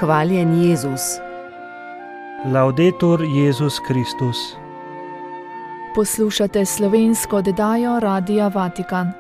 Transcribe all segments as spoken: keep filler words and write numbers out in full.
Hvaljen Jezus. Laudetur Jezus Kristus. Poslušate slovensko oddajo Radia Vatikan.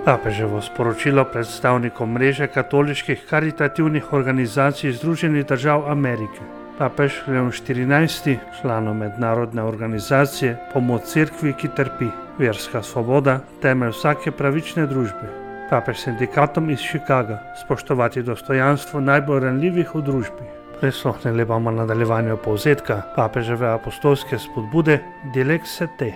Papeževo sporočilo predstavnikom mreže katoliških karitativnih organizacij Združenih držav Amerike. Papež Leon štirinajsti, članom mednarodne organizacije Pomoč cerkvi, ki trpi, verska svoboda, temelj vsake pravične družbe. Papež sindikatom iz Chicaga, spoštovati dostojanstvo najbolj ranljivih v družbi. Prisluhnili bomo nadaljevanju povzetka papeževe apostolske spodbude Dilexit te.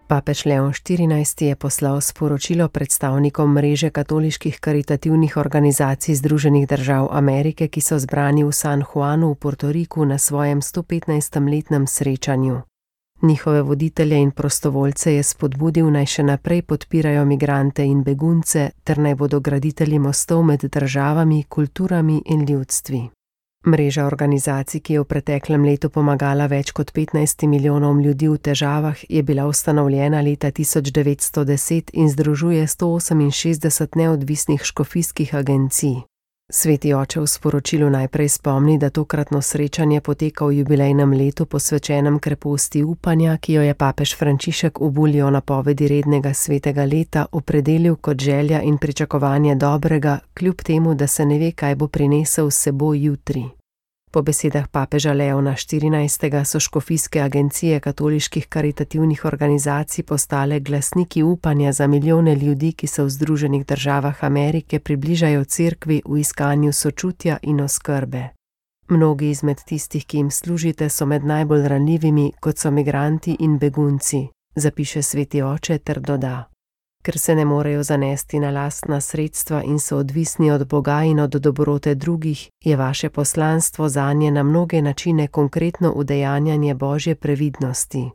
Papež Leon štirinajsti je poslal sporočilo predstavnikom mreže katoliških karitativnih organizacij Združenih držav Amerike, ki so zbrani v San Juanu v Portoriku na svojem sto petnajstem letnem srečanju. Njihove voditelje in prostovoljce je spodbudil, naj še naprej podpirajo migrante in begunce, ter naj bodo graditelji mostov med državami, kulturami in ljudstvi. Mreža organizacij, ki je v preteklem letu pomagala več kot petnajst milijonom ljudi v težavah, je bila ustanovljena leta tisoč devetsto deset in združuje sto oseminšestdeset neodvisnih škofijskih agencij. Sveti oče v sporočilu najprej spomni, da tokratno srečanje poteka v jubilejnem letu posvečenem kreposti upanja, ki jo je papež Frančišek v bulji o napovedi rednega svetega leta opredelil kot želja in pričakovanje dobrega, kljub temu, da se ne ve, kaj bo prinesel s seboj jutri. Po besedah papeža Leona štirinajstega so škofijske agencije katoliških karitativnih organizacij postale glasniki upanja za milijone ljudi, ki se v Združenih državah Amerike približajo cerkvi v iskanju sočutja in oskrbe. Mnogi izmed tistih, ki jim služite, so med najbolj ranljivimi, kot so migranti in begunci, zapiše sveti oče ter doda. Ker se ne morejo zanesti na lastna sredstva in so odvisni od Boga in od dobrote drugih, je vaše poslanstvo zanje na mnoge načine konkretno udejanjanje Božje previdnosti.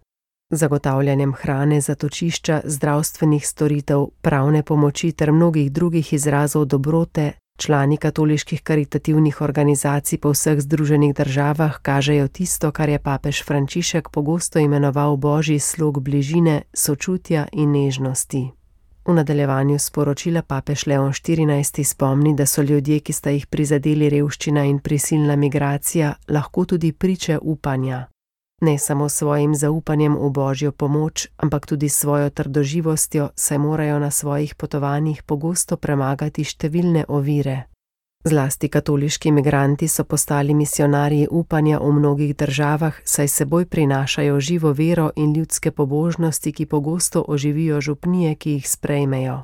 Zagotavljanjem hrane, zatočišča, zdravstvenih storitev, pravne pomoči ter mnogih drugih izrazov dobrote, člani katoliških karitativnih organizacij po vseh Združenih državah kažejo tisto, kar je papež Frančišek pogosto imenoval Božji slog bližine, sočutja in nežnosti. V nadaljevanju sporočila papež Leon štirinajsti spomni, da so ljudje, ki sta jih prizadeli revščina in prisilna migracija, lahko tudi priče upanja. Ne samo svojim zaupanjem v Božjo pomoč, ampak tudi svojo trdoživostjo, saj morajo na svojih potovanjih pogosto premagati številne ovire. Zlasti katoliški migranti so postali misijonarji upanja v mnogih državah, saj seboj prinašajo živo vero in ljudske pobožnosti, ki pogosto oživijo župnije, ki jih sprejmejo.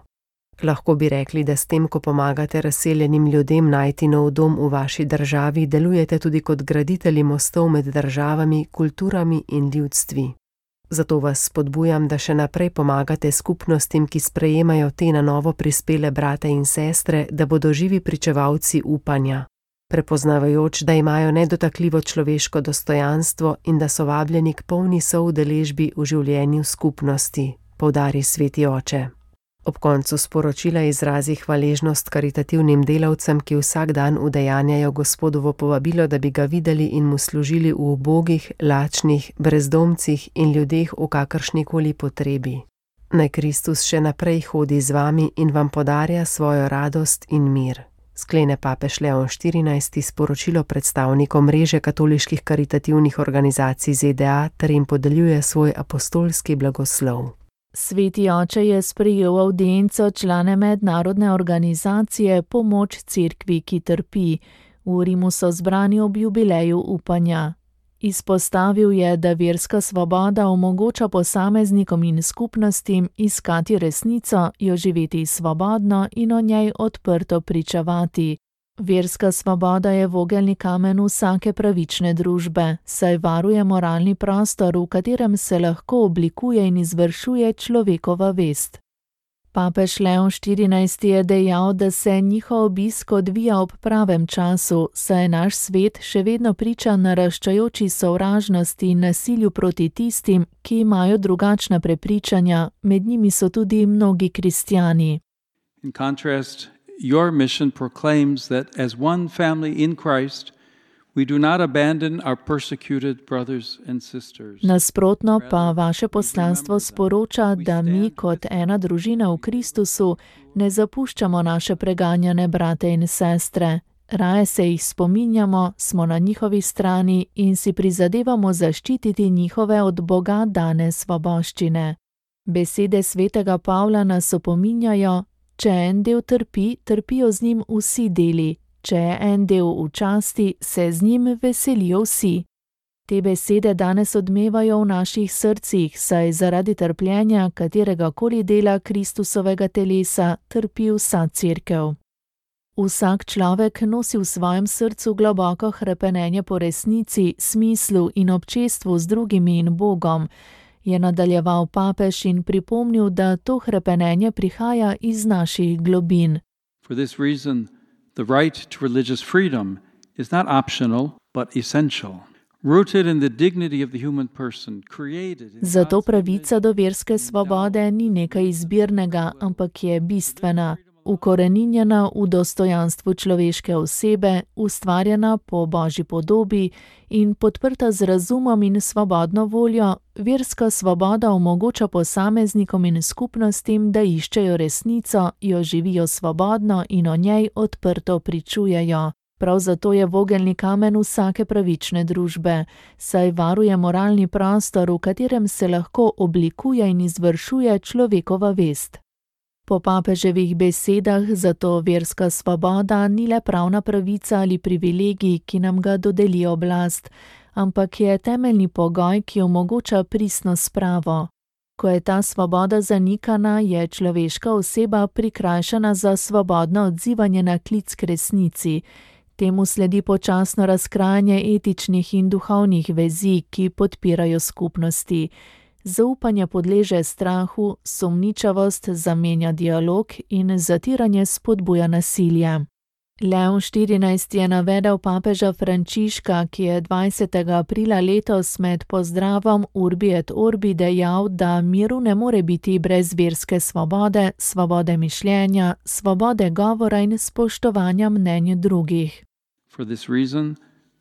Lahko bi rekli, da s tem, ko pomagate razseljenim ljudem najti nov dom v vaši državi, delujete tudi kot graditelji mostov med državami, kulturami in ljudstvi. Zato vas spodbujam, da še naprej pomagate skupnostim, ki sprejemajo te na novo prispele brate in sestre, da bodo živi pričevalci upanja, prepoznavajoč, da imajo nedotakljivo človeško dostojanstvo in da so vabljeni k polni soudeležbi v življenju skupnosti, poudari sveti oče. Ob koncu sporočila izrazi hvaležnost karitativnim delavcem, ki vsak dan udejanjajo Gospodovo povabilo, da bi ga videli in mu služili v ubogih, lačnih, brezdomcih in ljudeh v kakršnikoli potrebi. Naj Kristus še naprej hodi z vami in vam podarja svojo radost in mir. Sklene papež Leon štirinajsti sporočilo predstavnikom mreže katoliških karitativnih organizacij Z D A ter jim podeljuje svoj apostolski blagoslov. Sveti oče je sprejel avdienco člane mednarodne organizacije Pomoč cerkvi, ki trpi. V Rimu so zbrani ob jubileju upanja. Izpostavil je, da verska svoboda omogoča posameznikom in skupnostim iskati resnico, jo živeti svobodno in o njej odprto pričevati. Verska svoboda je vogelni kamen vsake pravične družbe, saj varuje moralni prostor, v katerem se lahko oblikuje in izvršuje človekova vest. Papež Leon štirinajsti je dejal, da se njihov obisk odvija ob pravem času, saj je naš svet še vedno priča naraščajoči sovražnosti in nasilju proti tistim, ki imajo drugačna prepričanja, med njimi so tudi mnogi kristjani. In contrast, your mission proclaims that as one family in Christ, we do not abandon our persecuted brothers and sisters. Nasprotno pa vaše poslanstvo sporoča, da mi kot ena družina v Kristusu ne zapuščamo naše preganjane brate in sestre, Raje se jih spominjamo, smo na njihovi strani in si prizadevamo zaščititi njihove od Boga dane svoboščine. Besede svetega Pavla nas opominjajo, če en del trpi, trpijo z njim vsi deli, če je en del v časti, se z njim veselijo vsi. Te besede danes odmevajo v naših srcih, saj zaradi trpljenja katerega koli dela Kristusovega telesa trpi vsa cerkev. Vsak človek nosi v svojem srcu globoko hrepenenje po resnici, smislu in občestvu z drugimi in Bogom, je nadaljeval papež in pripomnil, da to hrepenenje prihaja iz naših globin. For this reason, the right to religious freedom is not optional, but essential. Rooted in the dignity of the human person, created in Zato God's pravica do verske svobode ni nekaj izbirnega, ampak je bistvena, ukoreninjena v dostojanstvu človeške osebe, ustvarjena po Božji podobi in podprta z razumom in svobodno voljo. Verska svoboda omogoča posameznikom in skupnostim, da iščejo resnico, jo živijo svobodno in o njej odprto pričujejo. Prav zato je vogelni kamen vsake pravične družbe, saj varuje moralni prostor, v katerem se lahko oblikuje in izvršuje človekova vest. Po papeževih besedah zato verska svoboda ni le pravna pravica ali privilegij, ki nam ga dodeli oblast, ampak je temeljni pogoj, ki omogoča pristno spravo. Ko je ta svoboda zanikana, je človeška oseba prikrajšana za svobodno odzivanje na klic k resnici. Temu sledi počasno razkrajanje etičnih in duhovnih vezi, ki podpirajo skupnosti. Zaupanje podleže strahu, sumničavost zamenja dialog in zatiranje spodbuja nasilje. Leon štirinajsti je navedel papeža Frančiška, ki je dvajsetega aprila letos med pozdravom Urbi et Orbi dejal, da miru ne more biti brez verske svobode, svobode mišljenja, svobode govora in spoštovanja mnenj drugih. For this reason,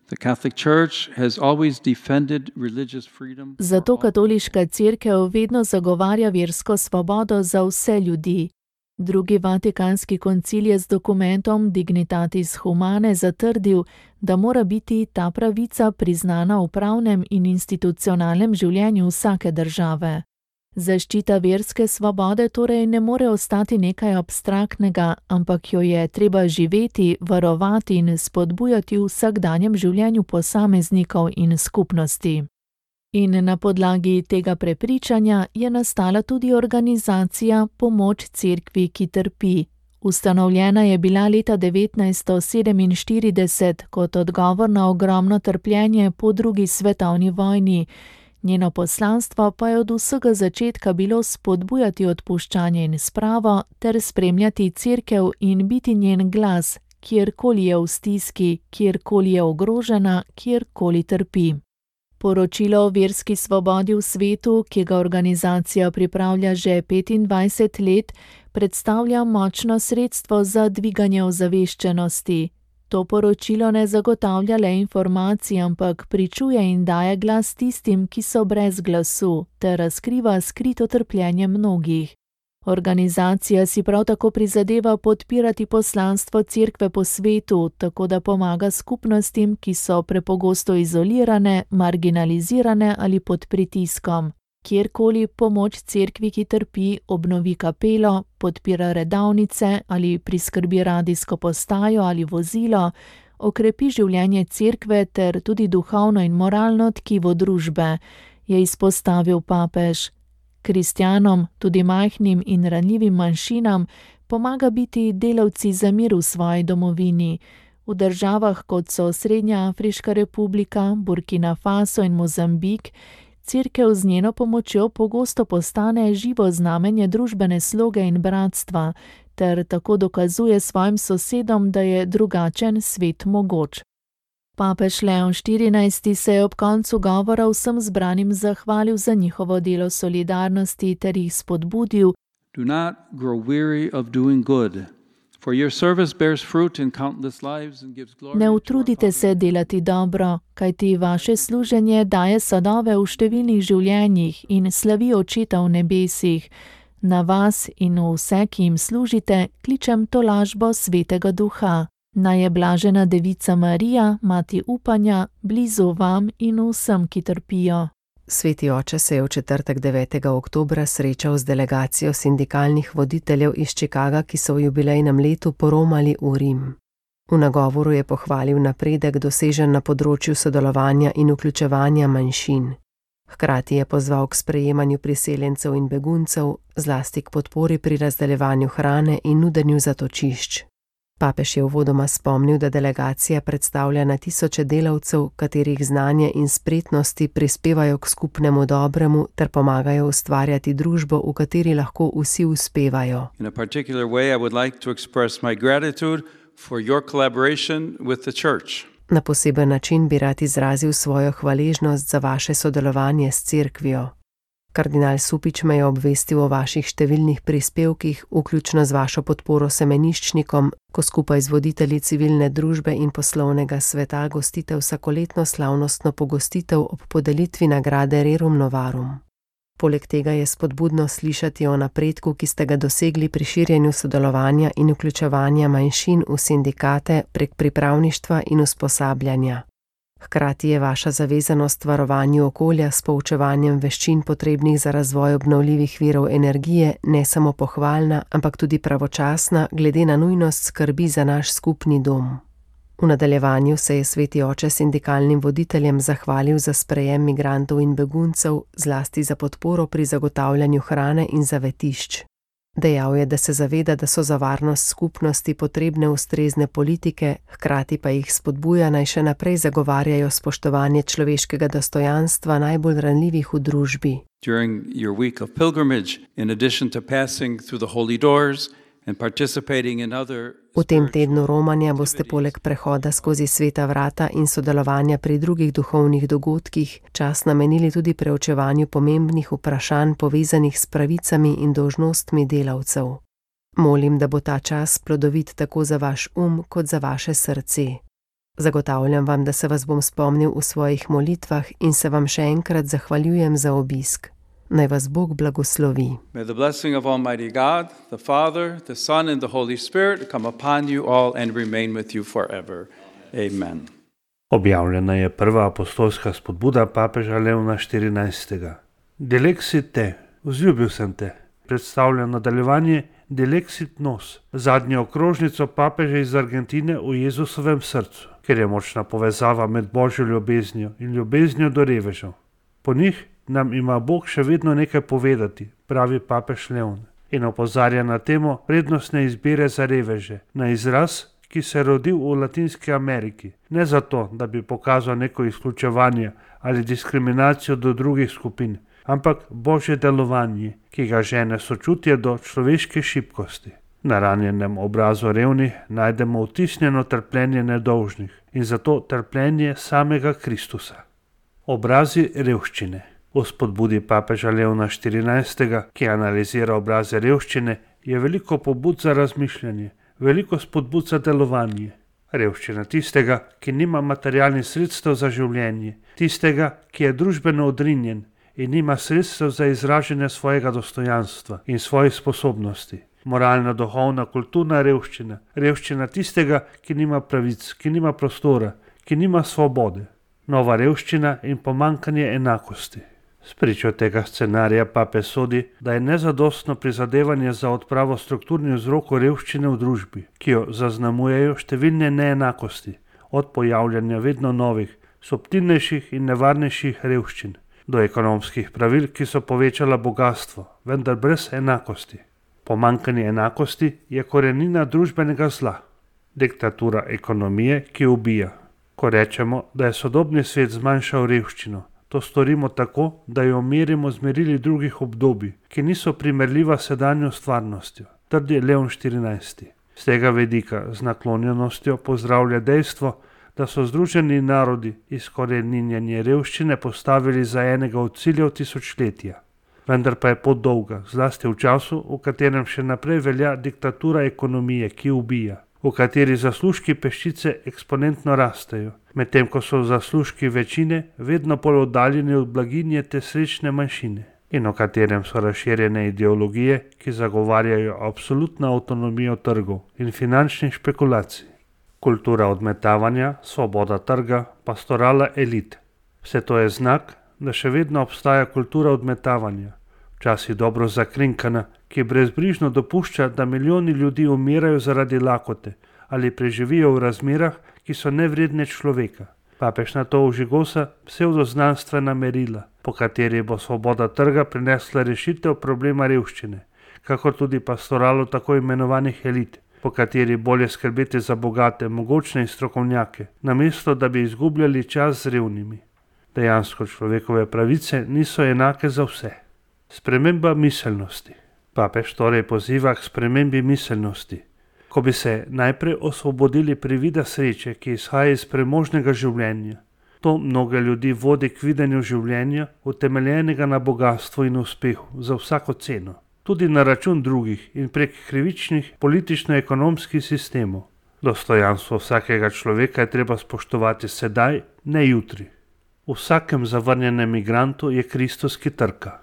the Catholic Church has always defended religious freedom. Zato katoliška cerkev vedno zagovarja versko svobodo za vse ljudi. Drugi vatikanski koncil je z dokumentom Dignitatis Humanae zatrdil, da mora biti ta pravica priznana v pravnem in institucionalnem življenju vsake države. Zaščita verske svobode torej ne more ostati nekaj abstraktnega, ampak jo je treba živeti, varovati in spodbujati v vsakdanjem življenju posameznikov in skupnosti. In na podlagi tega prepričanja je nastala tudi organizacija Pomoč cerkvi, ki trpi. Ustanovljena je bila leta devetnajststo sedeminštirideset kot odgovor na ogromno trpljenje po drugi svetovni vojni. Njeno poslanstvo pa je od vsega začetka bilo spodbujati odpuščanje in spravo ter spremljati cerkev in biti njen glas, kjerkoli je v stiski, kjerkoli je ogrožena, kjerkoli trpi. Poročilo o verski svobodi v svetu, ki ga organizacija pripravlja že petindvajset let, predstavlja močno sredstvo za dviganje ozaveščenosti. To poročilo ne zagotavlja le informacij, ampak pričuje in daje glas tistim, ki so brez glasu, ter razkriva skrito trpljenje mnogih. Organizacija si prav tako prizadeva podpirati poslanstvo cerkve po svetu, tako da pomaga skupnostim, ki so prepogosto izolirane, marginalizirane ali pod pritiskom. Kjerkoli pomoč cerkvi, ki trpi, obnovi kapelo, podpira redavnice ali priskrbi radijsko postajo ali vozilo, okrepi življenje cerkve ter tudi duhovno in moralno tkivo družbe, je izpostavil papež. Kristjanom, tudi majhnim in ranljivim manjšinam, pomaga biti delavci za mir v svoji domovini. V državah, kot so Srednja Afriška republika, Burkina Faso in Mozambik, cerkev z njeno pomočjo pogosto postane živo znamenje družbene sloge in bratstva, ter tako dokazuje svojim sosedom, da je drugačen svet mogoč. Papež Leon štirinajsti se je ob koncu govora vsem zbranim zahvalil za njihovo delo solidarnosti ter jih spodbudil: Do not grow weary of doing good, for your service bears fruit in countless lives and gives glory. Ne utrudite se delati dobro, kajti vaše služenje daje sadove v številnih življenjih in slavi Očeta v nebesih. Na vas in v vse, ki jim služite, kličem tolažbo Svetega Duha. Naj je blažena Devica Marija, mati upanja, blizu vam in vsem, ki trpijo. Sveti oče se je v četrtek devetega oktobra srečal z delegacijo sindikalnih voditeljev iz Chicaga, ki so v jubilejnem letu poromali v Rim. V nagovoru je pohvalil napredek dosežen na področju sodelovanja in vključevanja manjšin. Hkrati je pozval k sprejemanju priseljencev in beguncev, zlasti k podpori pri razdeljevanju hrane in nudenju zatočišč. Papež je uvodoma spomnil, da delegacija predstavlja na tisoče delavcev, katerih znanje in spretnosti prispevajo k skupnemu dobremu ter pomagajo ustvarjati družbo, v kateri lahko vsi uspevajo. In a particular way I would like to express my gratitude for your collaboration with the church. Na poseben način bi rad izrazil svojo hvaležnost za vaše sodelovanje s cerkvijo. Kardinal Supič me je obvestil o vaših številnih prispevkih, vključno z vašo podporo semeniščnikom, ko skupaj z voditelji civilne družbe in poslovnega sveta gostite vsakoletno slavnostno pogostitev ob podelitvi nagrade Rerum Novarum. Poleg tega je spodbudno slišati o napredku, ki ste ga dosegli pri širjenju sodelovanja in vključevanja manjšin v sindikate prek pripravništva in usposabljanja. Hkrati je vaša zavezanost varovanju okolja s poučevanjem veščin potrebnih za razvoj obnovljivih virov energije ne samo pohvalna, ampak tudi pravočasna glede na nujnost skrbi za naš skupni dom. V nadaljevanju se je sveti oče sindikalnim voditeljem zahvalil za sprejem migrantov in beguncev, zlasti za podporo pri zagotavljanju hrane in zavetišč. Dejal je, da se zaveda, da so za varnost skupnosti potrebne ustrezne politike, hkrati pa jih spodbuja, naj še naprej zagovarjajo spoštovanje človeškega dostojanstva najbolj ranljivih v družbi. During your week of pilgrimage, in addition to passing through the holy doors and participating in other V tem tednu romanja boste poleg prehoda skozi sveta vrata in sodelovanja pri drugih duhovnih dogodkih čas namenili tudi preučevanju pomembnih vprašanj povezanih s pravicami in dolžnostmi delavcev. Molim, da bo ta čas plodovit tako za vaš um kot za vaše srce. Zagotavljam vam, da se vas bom spomnil v svojih molitvah in se vam še enkrat zahvaljujem za obisk. Naj vas Bog blagoslovi. May the blessing of Almighty God, the Father, the Son and the Holy Spirit come upon you all and remain with you forever. Amen. Objavljena je prva apostolska spodbuda papeža Leona štirinajstega. Delexit te, vzljubil sem te, predstavlja nadaljevanje Delexit nos, zadnjo okrožnico papeža iz Argentine v Jezusovem srcu, ker je močna povezava med božjo ljubeznijo in ljubeznijo do revežev. Po njih nam ima Bog še vedno nekaj povedati, pravi papež Leon, in opozarja na temo prednostne izbire za reveže, na izraz, ki se je rodil v Latinski Ameriki, ne zato, da bi pokazal neko izključevanje ali diskriminacijo do drugih skupin, ampak božje delovanje, ki ga žene sočutje do človeške šibkosti. Na ranjenem obrazu revnih najdemo vtisnjeno trpljenje nedolžnih in zato trpljenje samega Kristusa. Obrazi revščine. V spodbudi papeža Leona štirinajstega, ki analizira obraze revščine, je veliko pobud za razmišljanje, veliko spodbud za delovanje. Revščina tistega, ki nima materialnih sredstev za življenje, tistega, ki je družbeno odrinjen in nima sredstev za izražanje svojega dostojanstva in svojih sposobnosti. Moralna, duhovna, kulturna revščina, revščina tistega, ki nima pravic, ki nima prostora, ki nima svobode. Nova revščina in pomanjkanje enakosti. Spričo tega scenarija papež sodi, da je nezadostno prizadevanje za odpravo strukturnih vzrokov revščine v družbi, ki jo zaznamujejo številne neenakosti, od pojavljanja vedno novih, subtilnejših in nevarnejših revščin, do ekonomskih pravil, ki so povečala bogastvo, vendar brez enakosti. Pomanjkanje enakosti je korenina družbenega zla, diktatura ekonomije, ki ubija. Ko rečemo, da je sodobni svet zmanjšal revščino, to storimo tako, da jo merimo z merili drugih obdobij, ki niso primerljiva s sedanjo stvarnostjo, trdi Leon štirinajsti. Z tega vidika z naklonjenostjo pozdravlja dejstvo, da so Združeni narodi izkoreninjenje revščine postavili za enega od ciljev tisočletja. Vendar pa je pot dolga, zlasti v času, v katerem še naprej velja diktatura ekonomije, ki ubija, v kateri zaslužki peščice eksponentno rastejo, medtem ko so zaslužki večine vedno bolj oddaljeni od blaginje te srečne manjšine, in v katerem so razširjene ideologije, ki zagovarjajo absolutno avtonomijo trgov in finančnih špekulacij. kultura odmetavanja, svoboda trga, pastorala elit. Vse to je znak, da še vedno obstaja kultura odmetavanja, včasih dobro zakrinkana, ki brezbrižno dopušča, da milijoni ljudi umirajo zaradi lakote ali preživijo v razmerah, ki so nevredne človeka. Papež na to ožigosa psevdoznanstvena merila, po kateri bo svoboda trga prinesla rešitev problema revščine, kakor tudi pastoralo tako imenovanih elit, po kateri bolje skrbeti za bogate, mogočne in strokovnjake, namesto da bi izgubljali čas z revnimi. Dejansko človekove pravice niso enake za vse. Sprememba miselnosti. Papež torej poziva k spremembi miselnosti. Ko bi se najprej osvobodili privida sreče, ki izhaja iz premožnega življenja. To mnoge ljudi vodi k videnju življenja, utemeljenega na bogastvu in uspehu, za vsako ceno. Tudi na račun drugih in prek krivičnih politično-ekonomskih sistemov. Dostojanstvo vsakega človeka je treba spoštovati sedaj, ne jutri. V vsakem zavrnjenem migrantu je Kristus, ki trka.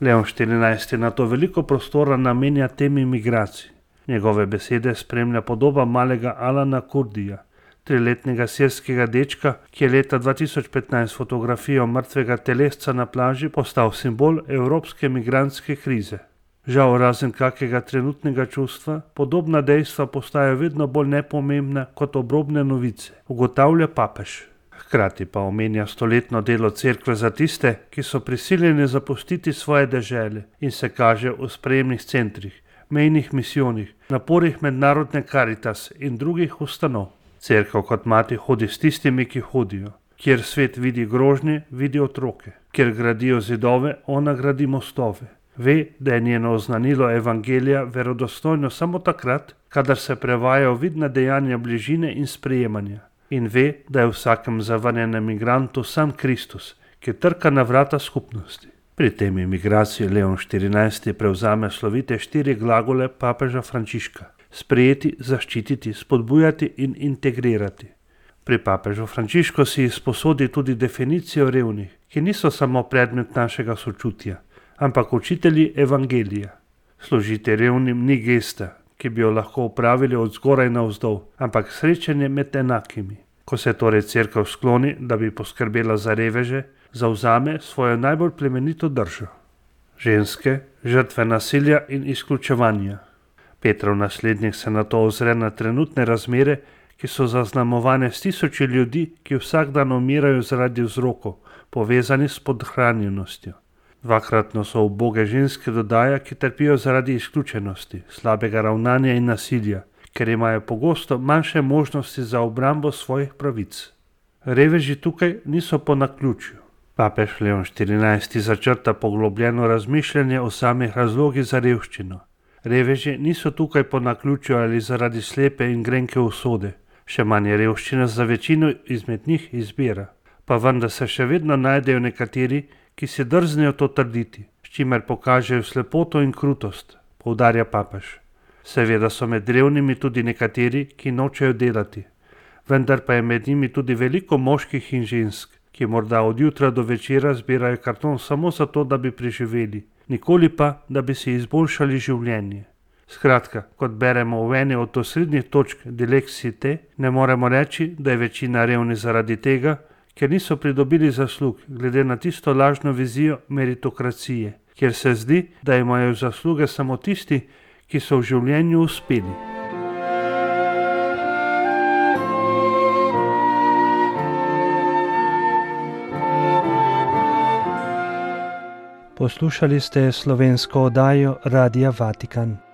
Leon štirinajsti na to veliko prostora namenja temi migracij. Njegove besede spremlja podoba malega Alana Kurdija, triletnega sirskega dečka, ki je leta dva tisoč petnajst fotografijo mrtvega telesca na plaži postal simbol evropske migrantske krize. Žal, razen kakega trenutnega čustva, podobna dejstva postajajo vedno bolj nepomembna kot obrobne novice, ugotavlja papež. Hkrati pa omenja stoletno delo cerkve za tiste, ki so prisiljeni zapustiti svoje dežele in se kaže v sprejemnih centrih, mejnih misijonih, naporih mednarodne Karitas in drugih ustanov. Cerkev kot mati hodi s tistimi, ki hodijo. Kjer svet vidi grožnje, vidi otroke. Kjer gradijo zidove, ona gradi mostove. Ve, da je njeno oznanilo evangelija verodostojno samo takrat, kadar se prevajajo vidna dejanja bližine in sprejemanja. In ve, da je v vsakem zavrnjenem migrantu sam Kristus, ki trka na vrata skupnosti. Pri tem imigraciji Leon štirinajsti prevzame slovite štiri glagole papeža Frančiška: sprejeti, zaščititi, spodbujati in integrirati. Pri papežu Frančišku si izposodi tudi definicijo revnih, ki niso samo predmet našega sočutja, ampak učitelji evangelija. Služiti revnim ni gesta, ki bi jo lahko upravili od zgoraj navzdol, ampak srečanje med enakimi. Ko se torej cerkev skloni, da bi poskrbela za reveže, zavzame svojo najbolj plemenito držo. Ženske, žrtve nasilja in izključevanja. Petrov naslednik se nato ozre na trenutne razmere, ki so zaznamovane s tisoči ljudi, ki vsak dan umirajo zaradi vzrokov, povezani s podhranjenostjo. Dvakratno so uboge ženske, dodaja, ki trpijo zaradi izključenosti, slabega ravnanja in nasilja, ker imajo pogosto manjše možnosti za obrambo svojih pravic. Reveži tukaj niso po naključju. Papež Leon štirinajsti začrta poglobljeno razmišljanje o samih razlogih za revščino. Reveži niso tukaj po naključju ali zaradi slepe in grenke usode, še manj je revščina za večino izmed njih izbira. Pa vendar se še vedno najdejo nekateri, ki si drznejo to trditi, s čimer pokažejo slepoto in krutost, poudarja papež. Seveda so med revnimi tudi nekateri, ki nočejo delati, vendar pa je med njimi tudi veliko moških in žensk, ki morda od jutra do večera zbirajo karton samo zato, da bi preživeli, nikoli pa, da bi si izboljšali življenje. Skratka, kot beremo v eni od osrednjih točk Dilexite, ne moremo reči, da je večina revnih zaradi tega, ker niso pridobili zaslug glede na tisto lažno vizijo meritokracije, kjer se zdi, da imajo zasluge samo tisti, ki so v življenju uspeli. Poslušali ste slovensko oddajo Radia Vatikan.